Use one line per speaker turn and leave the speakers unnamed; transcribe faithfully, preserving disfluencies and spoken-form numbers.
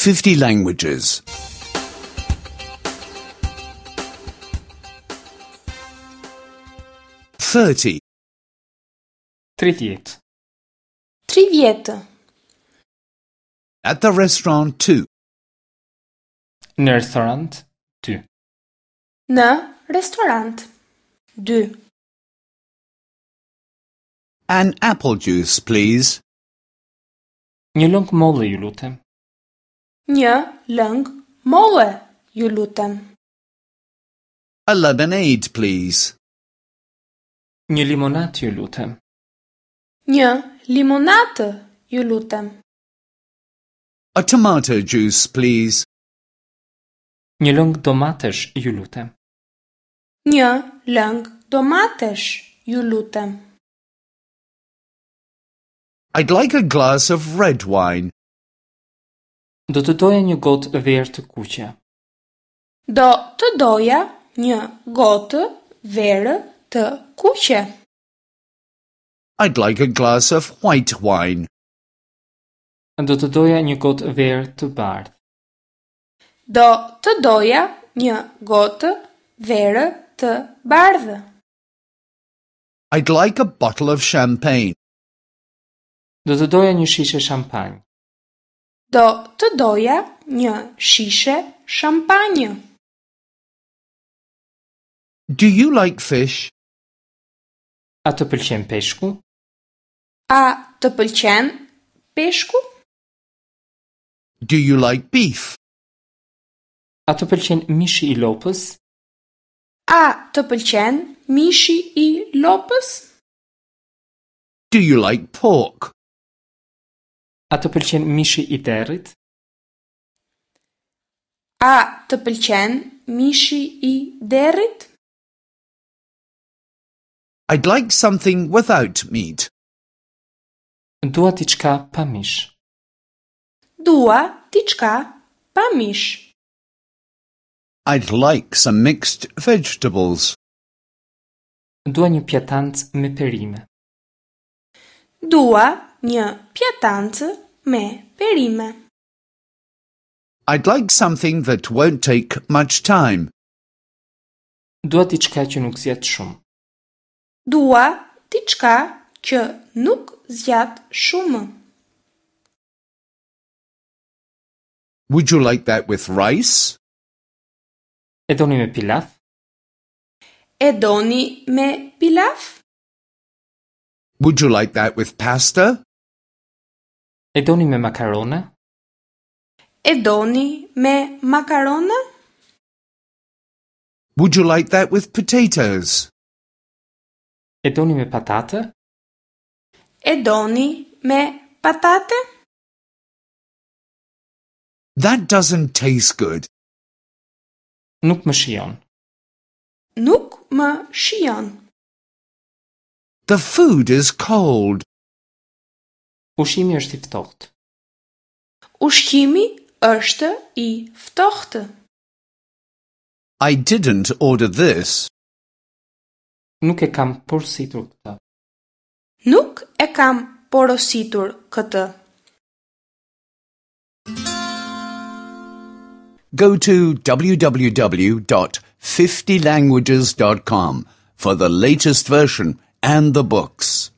fifty languages. thirty.
Tridhjetë.
Tridhjetë.
At the restaurant two.
Në restorant dy.
Në restorant dy.
An apple juice, please.
Një lëng molle, ju lutem.
Një lëng molle, ju lutem.
A lemonade, please.
Një limonat, ju lutem.
Një limonatë, ju lutem.
A tomato juice, please.
Një lëng domatesh, ju lutem.
Një lëng domatesh, ju lutem.
I'd like a glass of red wine.
Do të doja një gotë verë të kuqe.
Do të doja një gotë verë të kuqe.
I'd like a glass of white wine.
Do të doja një gotë verë të bardhë.
Do të doja një gotë verë të bardhë.
I'd like a bottle of champagne.
Do të doja një shishe shampanjë.
Do të doja një shishe shampanjë.
Do you like fish?
A të pëlqen peshku?
A të pëlqen peshku?
Do you like beef?
A të pëlqen mishi i lopës?
A të pëlqen mishi i lopës?
Do you like pork?
A të pëlqen mishi i derrit?
A të pëlqen mishi i derrit?
I'd like something without meat.
Dua diçka pa mish.
Dua diçka pa mish.
I'd like some mixed vegetables.
Dua një pjatancë me perime.
Dua një pjatancë me perime.
I'd like something that won't take much time.
Dua diçka që nuk zgjat shumë.
Dua diçka që nuk zgjat shumë.
Would you like that with rice?
E doni me pilaf?
E doni me pilaf?
Would you like that with pasta?
E doni me makarona?
E doni me makarona?
Would you like that with potatoes?
E doni me patate?
E doni me patate?
That doesn't taste good.
Nuk më shijon.
Nuk më shijon.
The food is cold.
Ushqimi është i ftohtë.
Ushqimi është i ftohtë.
I didn't order this.
Nuk e kam porositur këtë.
Nuk e kam porositur këtë.
Go to w w w dot fifty languages dot com for the latest version and the books.